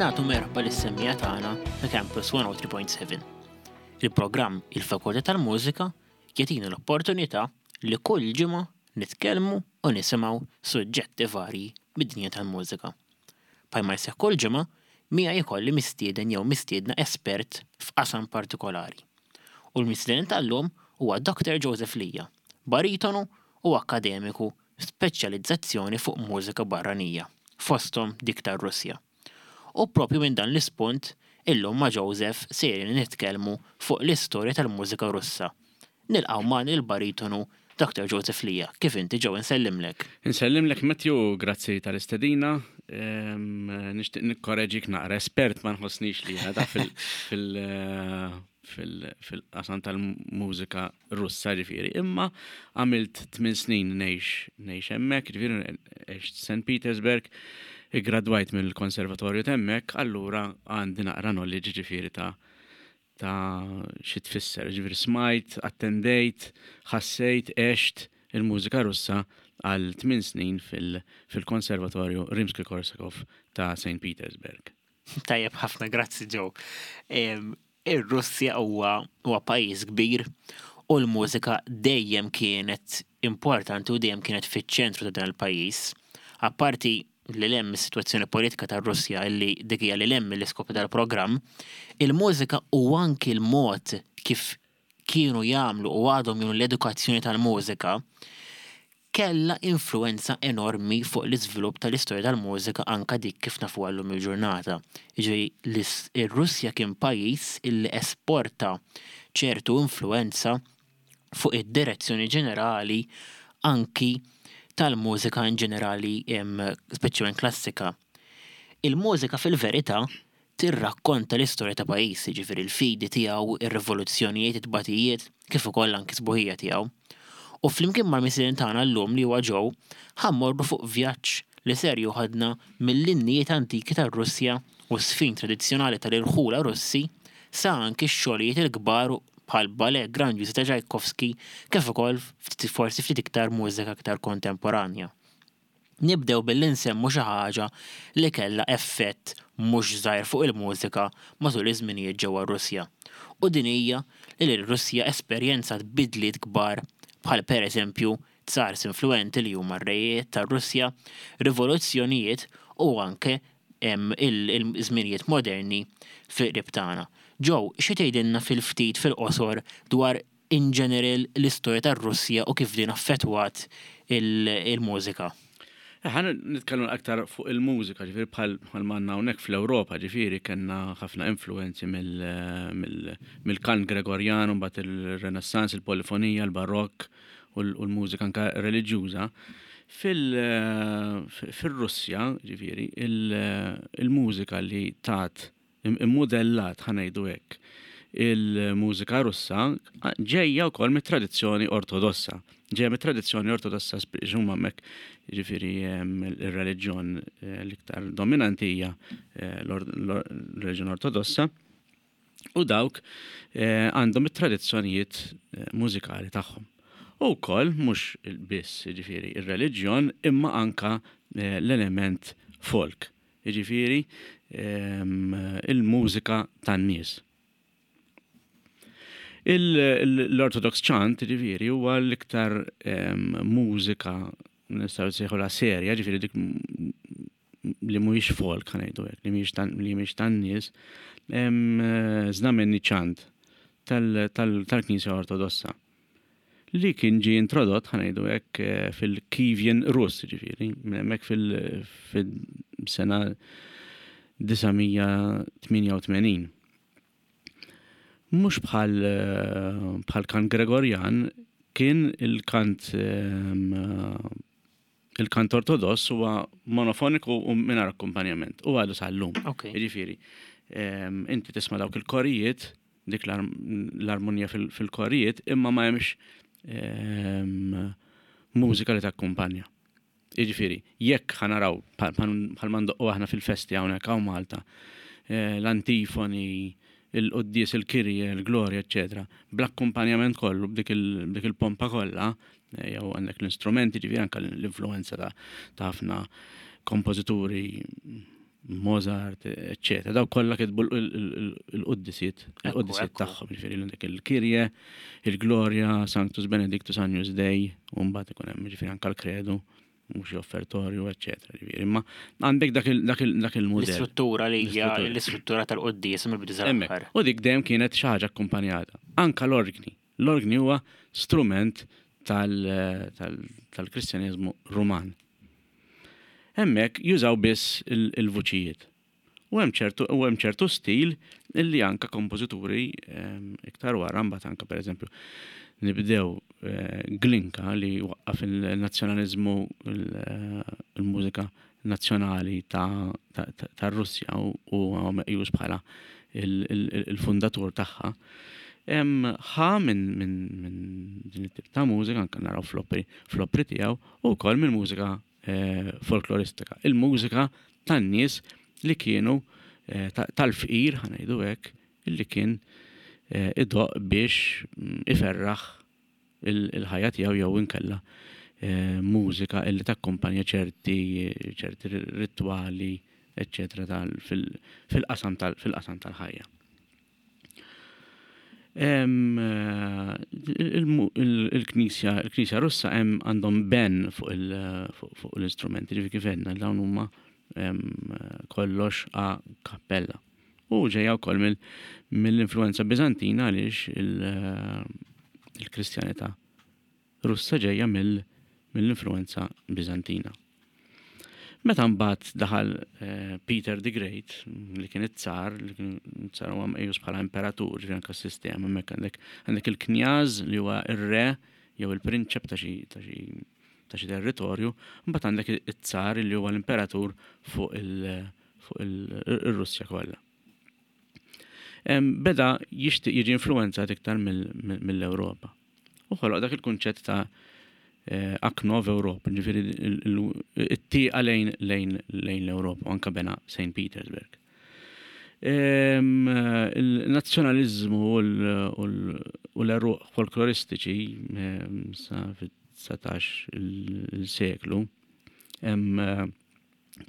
Nagħtu merħba lis-semmiegħa tagħna ta' Campus 103.7. Il-programm Il-Fakultà tal-Mużika jagħtina l-opportunità li kull ġimgħa nitkellmu u nisimgħu suġġetti varji mid-dinja tal-mużika. Bħalma jseħħ kull ġimgħa, miegħi jkolli mistieden jew mistiedna espert f'qasam partikolari. U l-mistieden tal-lum huwa Dr. Joseph Lija, baritonu u akkademiku b'speċjalizzazzjoni fuq mużika barranija, fosthom dik tar-Russja. U propju minn dan l-ispunt, illum ma' Joseph sejrin nitkellmu fuq l-istorja tal-mużika Russa. Nilqgħu magħna lill-baritonu Dr. Joseph Lija. Kif inti Joe insellimlek? Insellimlek Matthew, grazzi tal-istedina. Nixtieq nikkoreġik naqra, espert ma nħossnix li jiena fil-qasam tal-mużika Russa ġifieri, imma għamilt 8 snin ngħix ngħix hemmhekk, ġifieri għext St. Petersburg, iggradwajt mill-konservatorju t'hemmhekk, allura għandi naqra knowledge ġifieri ta' ta' xi tfisser. Ġifieri smajt, attendejt, ħassejt, għext il-mużika Russa għal 8 snin fil-Konservatorju Rimsky-Korsakov ta' St. Petersburg. Tajjeb ħafna, grazzi Joe. Ir-Russja huwa huwa pajjiż kbir u l-mużika dejjem kienet importanti u dejjem kienet fiċ-ċentru ta' dan il-pajjiż. Apparti lil hemm mis-sitwazzjoni politika tar-Russja illi dik hija lil hemm mill-iskop tal-programm, il-mużika u anki l-mod kif kienu jagħmlu u għadhom jagħmlu l-edukazzjoni tal-mużika kellha influwenza enormi fuq l-iżvilupp tal-istorja tal-mużika anke dik kif nafuha llum il-ġurnata. Jiġifieri r-Russja kien pajjiż illi esporta ċertu influwenza fuq id-direzzjoni ġenerali anki tal-mużika in ġenerali speċjalment klassika. Il-mużika fil-verità tirrakkonta l-istorja ta' pajjiż, jiġifieri l-fidi tiegħu, ir-rivoluzzjonijiet, it-tbatijiet, kif ukoll anki s-sbuħija tiegħu. U flimkien mal-mistieden tagħna llum li huwa Joe, ħa mmorru fuq vjaġġ li ser joħodna mill-innijiet antiki tar-Russja u ż-żfin tradizzjonali tal-irħula Russi sa anki x-xogħlijiet il-kbar bħal ballet grandjużi ta' Tchaikovsky kif ukoll forsi ftit iktar mużika iktar kontemporanja. Nibdew billi nsemmu xi ħaġa li kellha effett mhux żgħir fuq il-mużika matul iż-żminijiet ġewwa r-Russja. U din hija li l-Russja esperjenzat bidliet kbar bħal pereżempju tsars influwenti li huma r-rejiet tar-Russja, rivoluzzjonijiet u anke il-żminijiet moderni fil-qrib tagħna. Joe, xi tgħidilna fil-ftit fil-qosor dwar in general l-istorja tar-Russja u kif din affettwat il-mużika? Ħa nitkellmu aktar fuq il-mużika, ġifieri bħal m'għandna hawnhekk fl-Ewropa, ġifieri kellna ħafna influenzi mill-kant Gregorjan, mbagħad il-Renaissance, il-polifonija, il-Barokk u l-mużika anke reliġjuża. Fil-Russja, ġifieri, il-mużika li tat immudellat, ħa ngħidu hekk, il-mużika Russa ġejja wkoll mit-tradizzjoni Ortodossa. Ġejja mit-tradizzjoni Ortodossa huma hemmhekk ġifieri ir-reliġjon eh, l-iktar dominanti hija eh, l-reliġjon Ortodossa u dawk eh, għandhom it-tradizzjonijiet mużikali tagħhom. U wkoll mhux biss ġifieri ir-reliġjon imma anka l-element folk. Jiġifieri il-mużika tan-nies. L-Orthodox chant, jiġifieri, huwa l-iktar mużika nistgħu nsejħulha serja, jiġifieri dik li mhuwiex folk ħa ngħidu hekk, li mhijiex tan-nies, znamenni chant tal-Knisja Ortodossa. li kien ġie introdott, ħa ngħidu hekk, fil-Kievian Rus, ġifieri, minn hemmhekk fil-sena 988. Mhux bħal bħal kant Gregorjan, kien il-kant il-kant ortodoss huwa monofoniku u mingħajr akkumpanjament u għadu sal-lum. Jiġifieri, inti tisma' dawk il-korijiet dik l-armonija fil-korijiet imma ma hemmx ehm, mużika li takkumpanja. Jiġifieri, jekk ħanaraw bħal ma ndoqqu aħna fil-festi hawnhekk hawn Malta, eh, l-antifoni, il-quddies, il-kirje, il-glorja, eċetera, bl-akkumpanjament kollu b'dik il-pompa kollha, eh, jew għandek l-istrumenti, ġifieri anke l-influenza ta' ħafna kompożituri Mozart, eccetera. Daw kollha kitbu l-quddisiet, il-quddisiet tagħhom, ġifieri għandek il-Kirje, il-Glorja, Sanctus Benedictus Agnus Dei, u mbagħad ikun hemm ġifieri anke l-Kredu, mhux offertorju, eccetera. Ġifieri, imma għandek dak il-mudell. L-istruttura li hija l-istruttura tal-quddies mill-bidu sal-aħħar. U dik dejjem kienet xi ħaġa akkumpanjata. Anka l-orgni. L-orgni huwa strument tal-Kristjaneżmu Ruman. Hemmhekk jużaw biss il-vuċijiet. U hemm ċertu u hemm ċertu stil illi anka kompożituri iktar wara mbagħad anka pereżempju nibdew Glinka li waqqaf il-nazzjonaliżmu il-mużika nazzjonali tar-Russja u huwa meqjus bħala il-fundatur tagħha. Ħa minn din it-tip ta' mużika anke naraw fl-opri fl-opri tiegħu u wkoll mill-mużika folkloristika. Il-mużika tan-nies li kienu tal-fqir, ħa ngħidu hekk, illi kien idoqq biex iferraħ il-ħajja tiegħu jew inkella mużika illi takkumpanja ċerti ċerti ritwali eċċetera fil-qasam tal-ħajja. Il-Knisja il-Knisja Russa hemm għandhom ben fuq l-istrumenti, ġifieri kif għedna dawn huma kollox a cappella. U ġejja wkoll mill-influenza Biżantina għaliex il-Kristjanità Russa ġejja mill-influenza Biżantina. Meta mbagħad daħal Peter the Great, li kien it-tsar, li kien tsar huwa meqjus bħala imperatur, ġifieri anke s-sistema hemmhekk għandek għandek il-knjaz li huwa ir-re jew il-prinċep ta' xi ta' xi ta' xi territorju, mbagħad għandek it-tsar li huwa l-imperatur fuq il fuq ir-Russja kollha. Beda jixtieq jiġi influwenzat iktar mill-Ewropa. U ħoloq dak il-kunċett ta' Aknov Ewropa, ġifieri it-tieqa lejn lejn lejn l-Ewropa, u anke bena St. Petersburg. Il-nazzjonaliżmu u l-għeruq folkloristiċi sa fit-19 il-seklu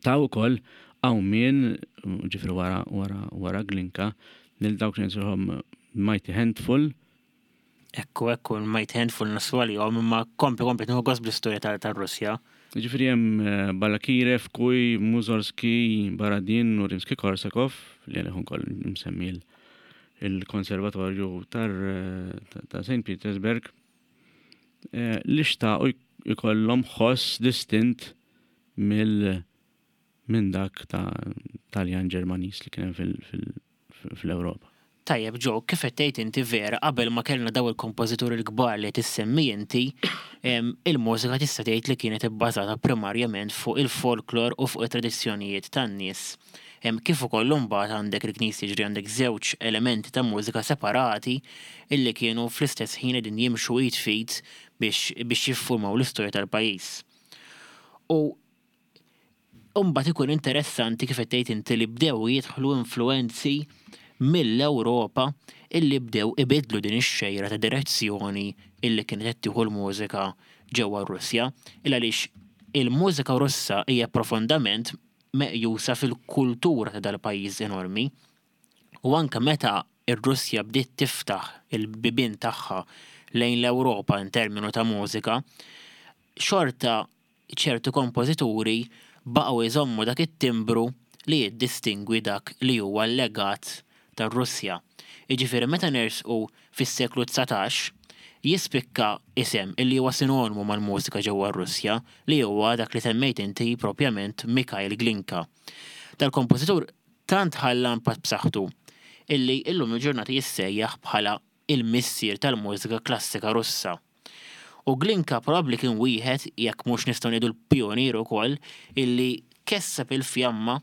taw ukoll qawmien, ġifieri wara wara wara Glinka, lil dawk li nsejħulhom Mighty Handful. Ekku, ekku, Mighty Handful naslu għalihom, imma kompli, kompli, nieħu gost bl-istorja tar-Russja. Ġifieri hemm eh, Balakirev, Kuj, Mussorgsky, Baradin u Rimsky-Korsakov, li għalih ukoll msemmi il-Konservatorju eh, ta' St. Petersburg, eh, li xtaqu jkollhom ħoss distint mill minn dak ta' Taljan Ġermaniż li kien hemm fl-Ewropa. Tajjeb Joe, kif qed tgħid inti vera qabel ma kellna dawn il-kompożituri l-kbar li qed issemmi inti, il-mużika tista' tgħid li kienet ibbażata primarjament fuq il-folklor u fuq it-tradizzjonijiet tan-nies. Kif ukoll imbagħad għandek il-knisja jiġri għandek żewġ elementi ta' mużika separati illi kienu fl-istess ħin qegħdin jimxu id f'id biex biex jiffurmaw l-istorja tal-pajjiż. U Imbagħad ikun interessanti kif qed tgħid inti li bdew jidħlu influwenzi mill-Ewropa illi bdew ibiddlu din ix-xejra ta' direzzjoni illi kienet qed tieħu l-mużika ġewwa r-Russja. Il għaliex il-mużika Russa hija profondament meqjusa fil-kultura ta' dal-pajjiż enormi. U anke meta r-Russja bdiet tiftaħ il-bibien tagħha lejn l-Ewropa in terminu ta' mużika, xorta ċertu kompożituri baqgħu jżommu dak it-timbru li jiddistingwi dak li huwa l-legat tar-Russja. Jiġifieri meta nersqu fis-seklu 19, jispikka isem illi huwa sinonimu mal-mużika ġewwa r-Russja, li huwa dak li semmejt inti propjament Mikhail Glinka. Dal-kompożitur tant ħalla impatt b'saħħtu illi illum il-ġurnata jissejjaħ bħala il-missier tal-mużika klassika Russa. U Glinka probabbli kien wieħed, jekk mhux nistgħu ngħidu l-pijunier ukoll, illi kesseb il-fjamma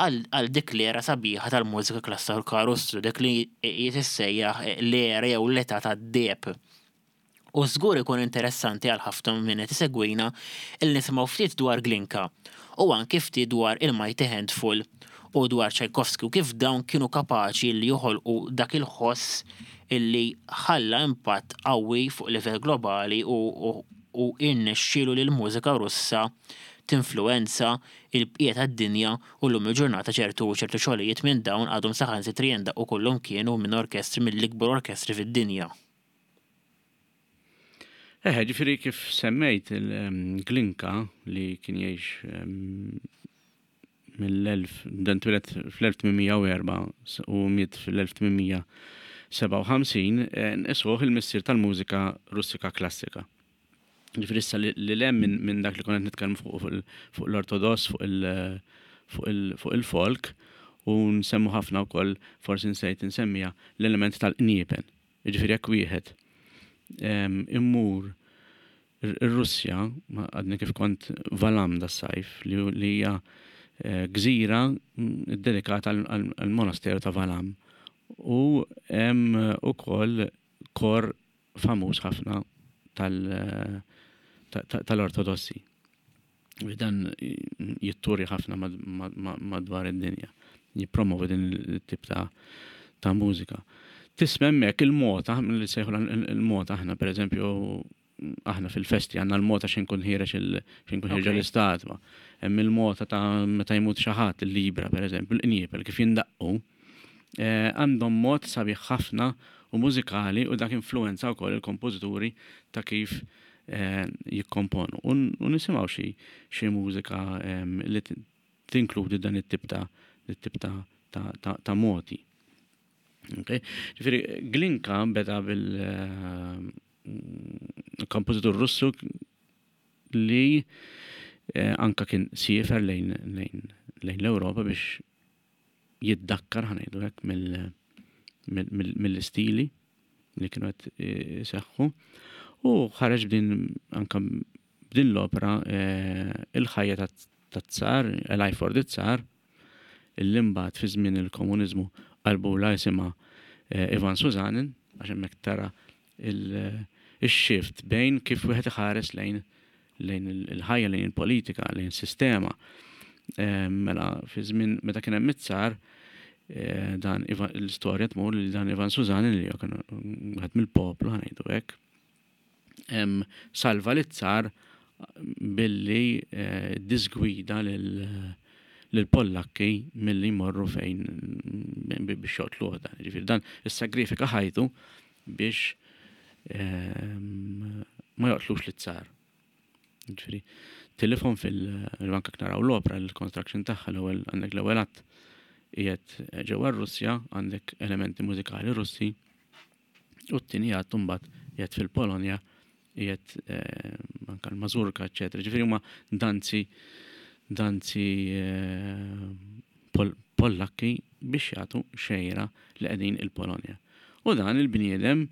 għal dik l-era sabiħa tal-mużika klassika Russu, dik li tissejjaħ l-era jew l-età tad-deheb. U żgur ikun interessanti għal ħafna minn min qed isegwina illi nisimgħu ftit dwar Glinka u anki ftit dwar il-Mighty Handful u dwar Tchaikovsky u kif dawn kienu kapaċi li joħolqu dak il-ħoss illi ħalla impatt qawwi fuq livell globali u u irnexxielu li l-mużika Russa tinfluwenza il-bqija tad-dinja u llum il-ġurnata ċertu ċertu xogħlijiet minn dawn għadhom saħansitra jindaqqu kullumkien u minn orkestri mill-ikbar orkestri fid-dinja. Eħe, ġifieri kif semmejt il-Glinka li kien jgħix mill-1000, dan twieled fl-1804 u miet fl-1857, nqisuh il-missier tal-mużika Russika klassika. Ġifieri issa li lem minn dak li konna nitkellmu fuq l-ortodoss, fuq il-folk, u nsemmu ħafna wkoll, forsi nsejt insemmiha, l-element tal-qniepen. Jiġifieri jekk wieħed immur ir-Russja, għadni kif kont Valam das-sajf, li hija eh, gżira ddedikata għall-monasteru ta' Valam. U hemm ukoll kor famuż ħafna tal-Ortodossi. Dan jitturi ħafna madwar id-dinja. Jippromovi din it-tip ta' ta' mużika. Tisma' hemmhekk il-mota, li sejħu il-mota aħna pereżempju aħna fil-festi għandna l-mota xejn kun ħireġ xejn kun ħireġ l-istatwa. Hemm il-mota ta' meta jmut xi ħadd il-libra pereżempju, l-qniepel kif jindaqqu. Eh, għandhom mod sabiħ ħafna u mużikali u dak influenza wkoll il-kompożituri ta' kif eh, jikkomponu. U nisimgħu xi xi mużika ehm, li tinkludi dan it-tip ta' it-tip ta' ta' moti. Okay? Ġifieri Glinka beda bil eh, kompożitur Russu li eh, anka kien siefer lejn lejn l-Ewropa biex jiddakkar ħa ngħidu hekk mill-istili li kienu qed iseħħu u ħareġ b'din anka b'din l-opra eh, il-ħajja tat-tsar, A Life for the Tsar, illi mbagħad fi żmien il-komuniżmu qalbula jisimha eh, Ivan Suzanin, għax hemmhekk tara il-shift bejn kif wieħed iħares lejn lejn il-ħajja, lejn il-politika, lejn sistema. Eh, mela fi żmien meta kien hemm it-tsar, eh, dan l-istorja tmur li dan Ivan Suzanin li kien wieħed mill-poplu ħanejdu hekk. Salva lit-tsar billi eh, disgwida lil Pollakki milli jmorru fejn biex joqtluh dan. Ġifieri dan issagrifika ħajtu biex ehm, ma joqtlux lit-tsar. Ġifieri tilifhom fil-banka naraw l-opra l-construction tagħha l-ewwel għandek l-ewwel att qiegħed ġewwa r-Russja għandek elementi mużikali Russi u t-tieni att imbagħad qiegħed fil-Polonja qiegħed eh, anka l-Mazurka, eċetera. Ġifieri huma danzi danzi eh, Pollakki biex jagħtu xejra li qegħdin il-Polonja. U dan il-bniedem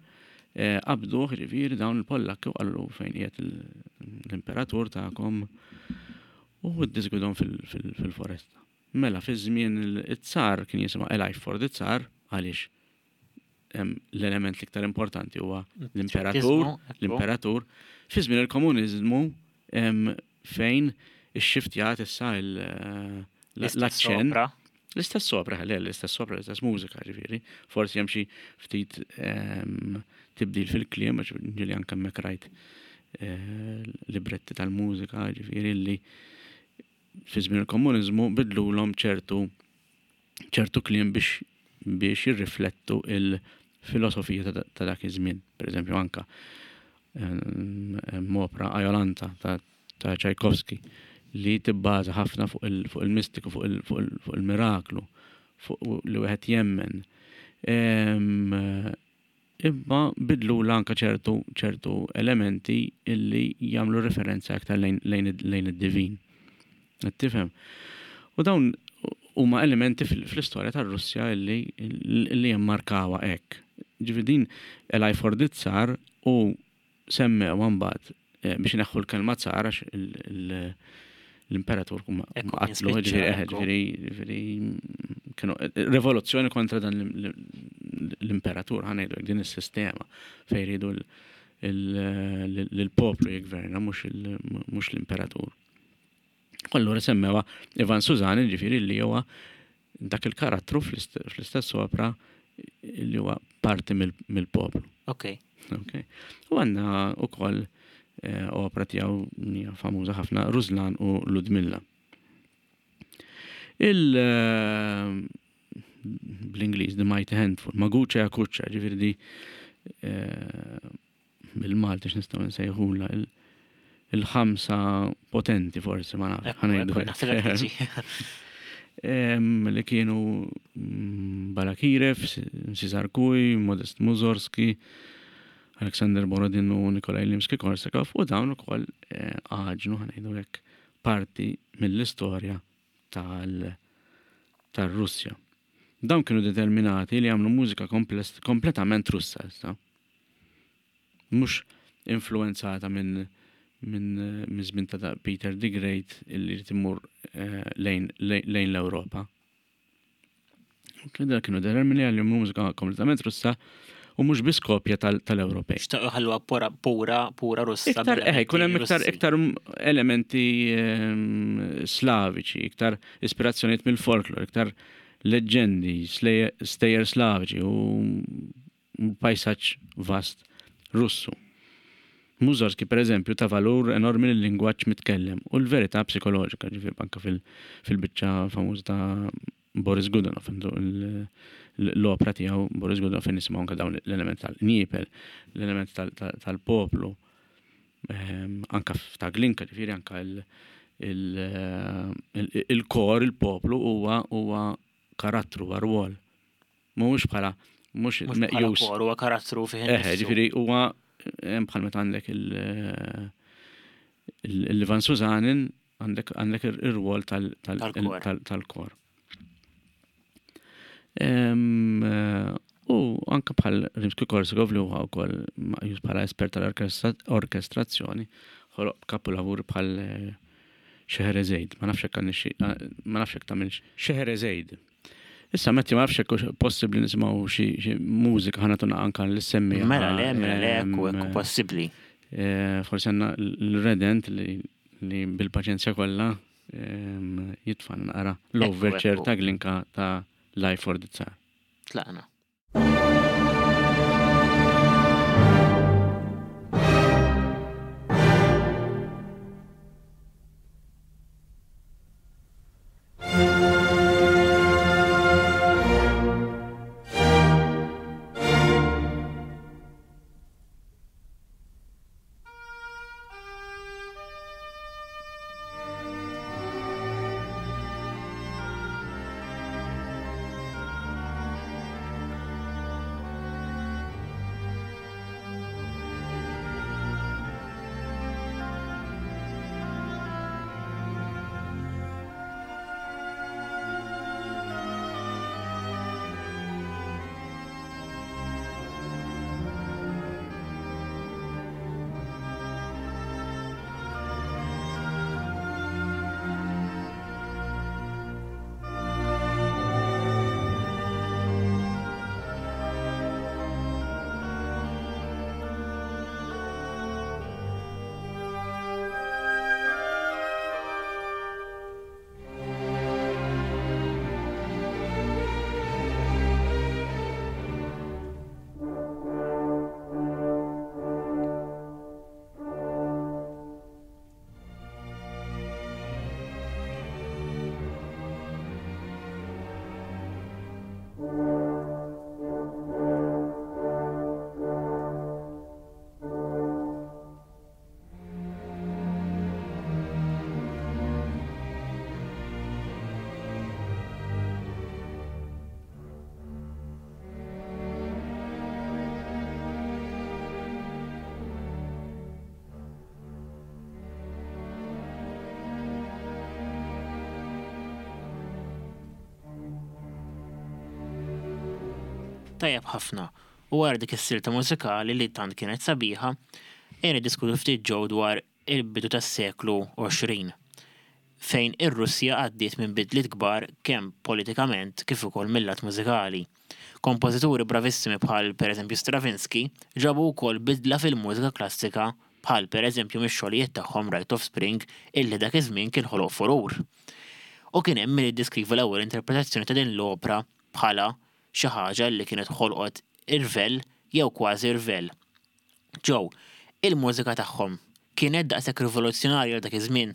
eh, qabduh ġifieri dawn il-Pollakki u qallu fejn qiegħed l-imperatur tagħkom u ddisgwidhom fil-foresta. Mela fi żmien it-tsar kien jisimha A Life for the Tsar għaliex l-element l-iktar importanti huwa l-imperatur, l-imperatur. Fi żmien il-komuniżmu fejn ix-xiftjat issa l-aċċen. L-istess opra, le, l-istess opra, l-istess mużika, ġifieri. Forsi hemm xi ftit tibdil fil-kliem, għax ġieli anke hemmhekk rajt eh, libretti tal-mużika, ġifieri li fi żmien il-komuniżmu bidlulhom ċertu ċertu kliem biex biex jirriflettu il-filosofija ta' dak iż-żmien. Per eżempju anka hemm opra Ajolanta ta' ta' Tchaikovsky li tibbaża ħafna fuq il-mistiku, fuq il-miraklu, fuq li wieħed jemmen. Imma bidlulha anke ċertu ċertu elementi illi jagħmlu referenza aktar lejn lejn id-divin. Qed tifhem? U dawn huma elementi fl-istorja tar-Russja illi illi jimmarkawha hekk. Ġifieri din A Life for the Tsar u semmewha mbagħad eh, biex ineħħu l-kelma tsar għax l-imperatur qatlu, ġifieri ġifieri kienu eh, rivoluzzjoni kontra dan l-imperatur ħanejdu din is-sistema fejn jridu l-poplu jigverna mhux l-imperatur. Allura semmewa Ivan Suzani ġifieri li huwa dak il-karattru fl-istess opra li huwa parti mill-poplu. Ok. Ok. U għandna ukoll Opra tiegħu hija famuża ħafna Ruslan u Ludmilla. Il bl-Ingliż The Mighty Handful, Maguċa Jakuċa, ġifieri di bil-Malti x'nistgħu nsejħula il-ħamsa potenti forsi ma nafx. Li kienu mm, Balakirev, Cesar Kuj, Modest Muzorski, Alexander Borodin u Nikolaj Limski-Korsakov u dawn ukoll eh, għaġnu ħanejdu hekk parti mill-istorja tal-Russja. Dawn kienu determinati li jagħmlu mużika kompletament Russa issa. Mhux influenzata minn minn żmien ta' Peter the Great illi jrid imur eh, lejn l-Ewropa. Kien kienu determini għal mużika kompletament Russa u mhux biss kopja tal-Ewropej. Xtaqu ħalluha pura pura pura Russa. Iktar eh, jkun hemm iktar iktar elementi ehm, slaviċi, iktar ispirazzjonijiet mill-folklor, iktar leġġendi, stejjer slaviċi u pajsaġġ vast Russu. Mussorgsky, per eżempju, ta valur enormi lil-lingwaġġ mitkellem u l-verità psikoloġika, ġifieri anke fil-biċċa famuża ta' Boris Godunov, l-opra tiegħu Boris Godunov fejn nisimgħu anke dawn l-element tal-qniepel, l-element tal-poplu, ehm, anke ta' Glinka, ġifieri anke il-kor, il-poplu huwa huwa karattru, huwa rwol. Mhuwiex bħala mhux meqjus. Kor huwa karattru fih. Eh, ġifieri huwa bħal meta għandek il-Ivan Suzanin għandek għandek ir-rwol tal-kor. Eh, u anke bħal Rimsky-Korsakov li huwa wkoll meqjus bħala espert tal-orkestrazzjoni, ħoloq kapulavur bħal eh, Scheherazade, ma nafx hekk ma nafx hekk tagħmilx Scheherazade. Issa Matthew ma nafx hekk possibbli nisimgħu xi mużika ħa nagħtu anke lis-semmiegħa. Mela le, mela le, hekk hekk possibbli. Eh, forsi għandna l-redent li bil-paċenzja kollha jitfa' naqra l-overture ta' Glinka ta' Life for the Tsar. Tlaqna. Tajjeb ħafna. U wara dik is-silta mużikali li tant kienet sabiħa, ejja niddiskutu ftit ġew dwar il-bidu tas-seklu 20, fejn ir-Russja għaddiet minn bidliet kbar kemm politikament kif ukoll mil-lat mużikali. Kompożituri bravissimi bħal pereżempju Stravinsky ġabu wkoll bidla fil-mużika klassika bħal pereżempju mix-xogħlijiet tagħhom Rite of Spring illi dak iż-żmien kien ħoloq furur. U kien hemm min iddeskriva l-ewwel interpretazzjoni ta' din l-opra bħala xi ħaġa li kienet ħolqot irvell jew kważi rvell. Joe, il-mużika tagħhom. Kienet daqshekk rivoluzzjonarja għal dak iż-żmien?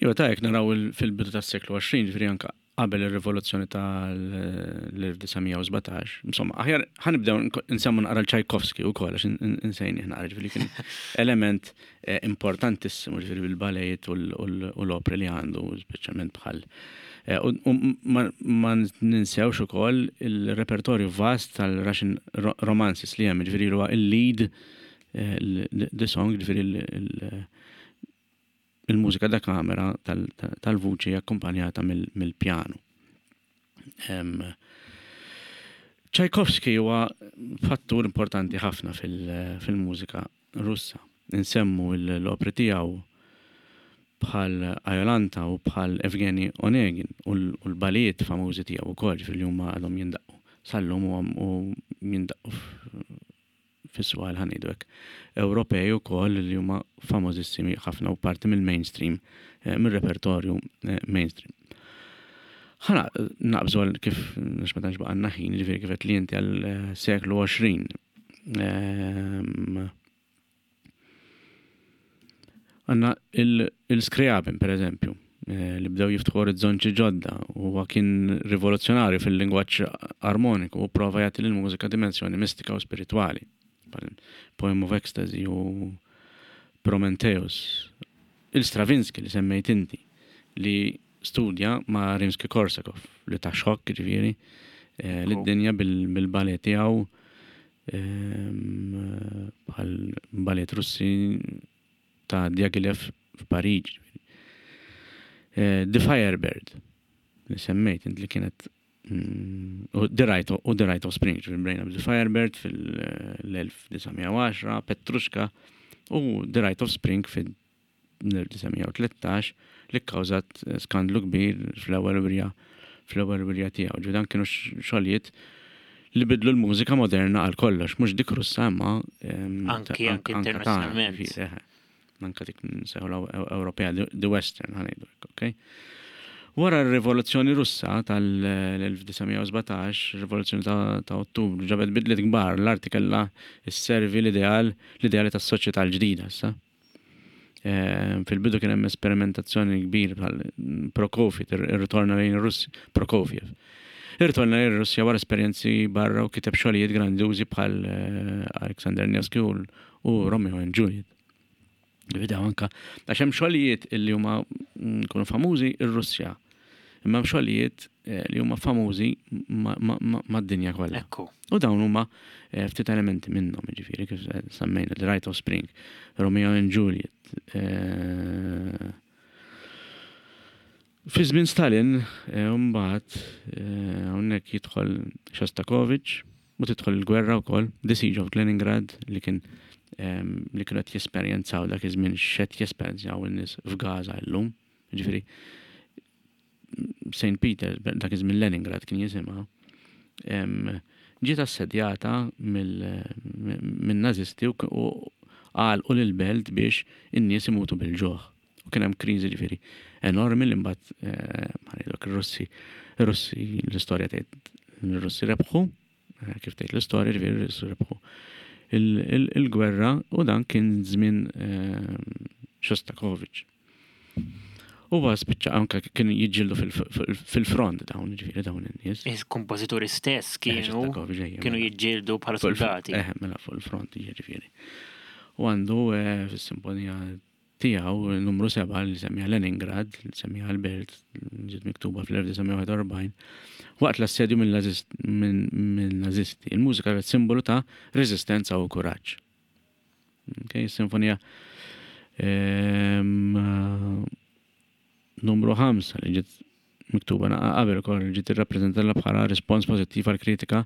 Iva ta' jekk naraw fil-bidu tas-seklu 20, ġifieri anke qabel ir-rivoluzzjoni tal-1917, insomma, aħjar ħa nibdew nsemmu naqra l-Tchaikovsky wkoll għax insejnih naqra, ġifieri kien element eh, importantissimu ġifieri bil-balejiet u l-opri li għandu, speċjalment bħal eh, u ma ninsewx ukoll il-repertorju vast tal-Russian romances li hemm, ġifieri huwa il-lead eh, the song, ġifieri il-mużika da kamera tal-vuċi akkumpanjata mill-pjanu. Tchaikovsky huwa fattur importanti ħafna fil-mużika Russa. Insemmu l-opri tiegħu bħal Iolanta u bħal Evgeny Onegin u l-balijiet famużi tiegħu wkoll, ġifieri li huma għadhom jindaqqu sal-lum u jindaqqu fis-swal ħa ngħidu hekk, Ewropej ukoll li huma famużissimi ħafna u parti mill-mainstream, eh, mir-repertorju eh, mainstream. Ħana naqbżu għal kif għax ma tantx baqgħalna ħin, ġifieri kif qed li inti għal eh, seklu 20. Ehm, Għanna il-Scriabin, per eżempju, eh, li bdew jiftħu orizzonti ġodda u kien rivoluzzjonarju fil-lingwaġġ armoniku u prova jagħti lil mużika dimensjoni mistika u spiritwali. Poem of Ecstasy u Prometheus. Il-Stravinsky li semmejt inti li studja ma' Rimsky-Korsakov li ta' xokk ġifieri eh, lid-dinja bil-ballet tiegħu bħal ballet Russi ta' Diaghilev f'Pariġi. Eh, The Firebird, li semmejt int li kienet mm, u The Rite u The Rite of Spring, ġifieri bdejna The Firebird fil-1910, Petrushka u The Rite of Spring fil 1913 li kkawżat skandlu kbir fl-ewwel wirja fl-ewwel wirja tiegħu. Ġifieri dan kienu xogħlijiet li bidlu l-mużika moderna għal kollox, mhux dik Russa imma anki anki internazzjonalment. Anka dik nsejħu Ewropea, the Western ħa ngħidu hekk, okay? Wara r-Rivoluzzjoni Russa tal-1917, rivoluzzjoni ta' Ottubru, ġabet bidliet kbar, l-arti kellha sservi l-ideal l-ideali tas-soċjetà l-ġdida issa. Fil-bidu kien hemm esperimentazzjoni kbir bħal Prokofiev, irritorna lejn ir-Russja, Prokofiev. Irritorna lejn ir-Russja wara esperjenzi barra u kiteb xogħlijiet grandjużi bħal eh, Alexander Nevsky u Romeo and Juliet. Bidaw anka, għax hemm xogħlijiet illi huma mm, kunu famużi ir-Russja. Imma hemm xogħlijiet eh, li huma famużi mad-dinja kollha. Ekku. U dawn huma eh, ftit elementi minnhom, jiġifieri kif semmejna The Rite of Spring, Romeo and Juliet. Eh, fi żmien Stalin, mbagħad hawnhekk jidħol Shostakovich u tidħol il-gwerra wkoll, The Siege of Leningrad li kien li kienu qed jesperjenzaw dak iż-żmien x'qed jesperjenzaw in-nies f'Gaza llum. Ġifieri St. Peter, dak iż-żmien Leningrad kien jisimha, ġiet assedjata min-Nazisti u għalqu lill-belt biex in-nies imutu bil-ġuħ. U kien hemm kriżi ġifieri enormi li mbagħad eh, ħanidok ir-Russi, ir-Russi l-istorja tgħid l-Russi rebħu, eh, kif tgħid l-istorja ġifieri r-Russi rebħu il-gwerra u dan kien żmien eh, Shostakovich. Huwa spiċċa anke kien jiġġieldu fil-front dawn, ġifieri dawn in-nies. Il-kompożituri stess eh, kienu kienu mela. jiġġieldu bħala soldati. Eh, mela fuq il-front jiġifieri. U għandu eh, fis-simfonija tiegħu numru 7 li semmija Leningrad, li semmija l-belt, ġiet miktuba fl-1941, waqt l-assedju mill-nazisti. Il-mużika kienet simbolu ta' reżistenza u kuraġġ. Okay, sinfonija ehm, numru 5 li ġiet miktuba qabel ukoll ġiet irrappreżentata bħala rispons pożittiv għal kritika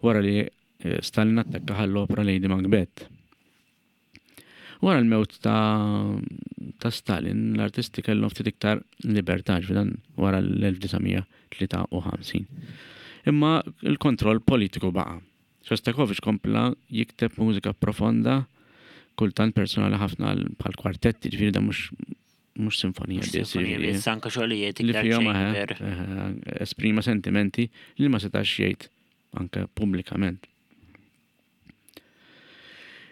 wara li eh, Stalin attakka ħall-opra Lady Macbeth. Wara l-mewt ta', ta Stalin, l-artisti kellhom ftit iktar libertà dan wara l-1953. Imma l-kontroll politiku baqa'. Shostakovich kompla jikteb mużika profonda, kultant personali ħafna bħal kwartetti, ġifieri dan mhux mhux sinfonija biss. Sinfonija biss, anke xogħlijiet li fihom esprima sentimenti li ma setax jgħid anke pubblikament.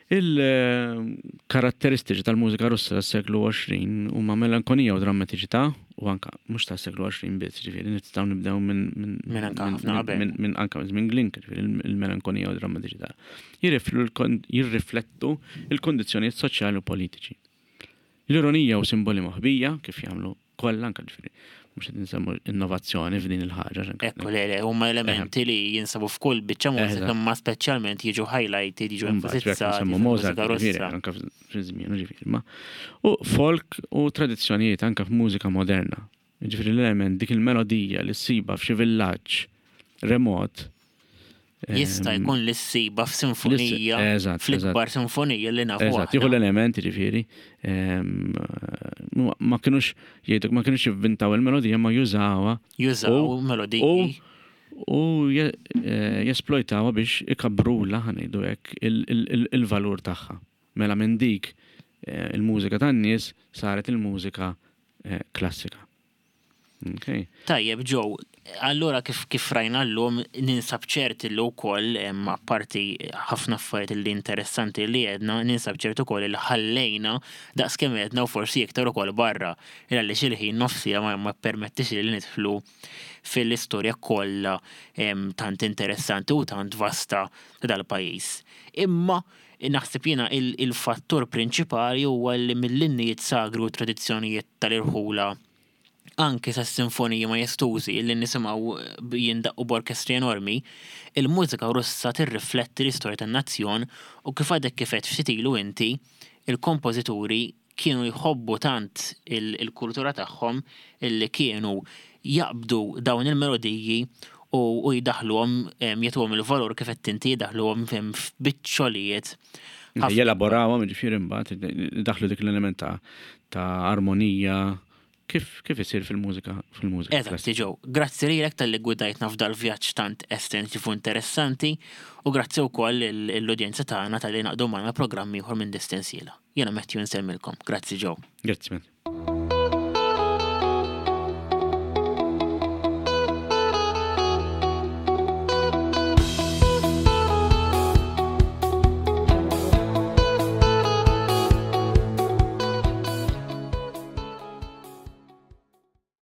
Il-karatteristiċi tal-mużika Russa tas-seklu 20 huma melankonija u drammatiċità, u anka mhux tas-seklu 20 biss, ġifieri nistgħu nibdew minn minn anka ħafna qabel. Minn anka minn Glinka, ġifieri il-melankonija u drammatiċità. Jirriflettu il-kondizzjonijiet soċjali u politiċi. L-ironija u simboli moħbija, kif jagħmlu kollha anke ġifieri mhux qed insemmu innovazzjoni f'din il-ħaġa. Ekku le, le, huma elementi li jinsabu f'kull biċċa mużika imma speċjalment jiġu highlighted, jiġu enfasizzati. Semmu Mozart, ġifieri, anke fi żmien, ġifieri. Ma u folk u tradizzjonijiet anke f'mużika moderna. Ġifieri l-element dik il-melodija li ssiba f'xi villaġġ remot. Jista' jkun li ssiba f'sinfonija, fl-ikbar sinfonija li nafu. Eżatt, jieħu l-elementi ġifieri. Ma kinux jgħiduk ma kinux jivvintaw il-melodija ma jużawha. Jużaw melodiji. U jesplojtawha biex ikabrula ħa ngħidu hekk il-valur tagħha. Mela minn dik il-mużika tan-nies saret il-mużika klassika. Okay. Tajjeb, Joe, allura kif rajna llum ninsab ċert li wkoll apparti ħafna affarijiet li interessanti li għedna, ninsab ċert ukoll li ħallejna daqskemm għedna u forsi iktar ukoll barra. Għaliex il-ħin nofsija ma permettix li nidħlu fil-istorja kollha tant interessanti u tant vasta ta' dal-pajjiż. Imma naħseb jiena il-fattur prinċipali huwa li mill-innijiet sagri u tradizzjonijiet tal-irħula anke sa sinfoniji majestużi li nisimgħu jindaqqu b'orkestri enormi, il-mużika Russa tirrifletti l-istorja tan-nazzjon u kif għadek kif għedt ftit ilu inti, il-kompożituri kienu jħobbu tant il-kultura tagħhom illi kienu jaqbdu dawn il-melodiji u jdaħluhom jagħtuhom il-valur kif qed inti jdaħluhom f'biċċolijiet. Jelaborawhom ġifieri mbagħad daħlu dik l-element ta' armonija kif isir fil-mużika. Eżatt, Joe. Grazzi lilek talli gwidajtna f'dal vjaġġ tant estensiv u interessanti u grazzi wkoll l-udjenza tagħna talli ngħaqdu magħna programm ieħor minn Distensiela. Jiena Matthew nsellmilkom. Grazzi Joe. Grazzi Matthew.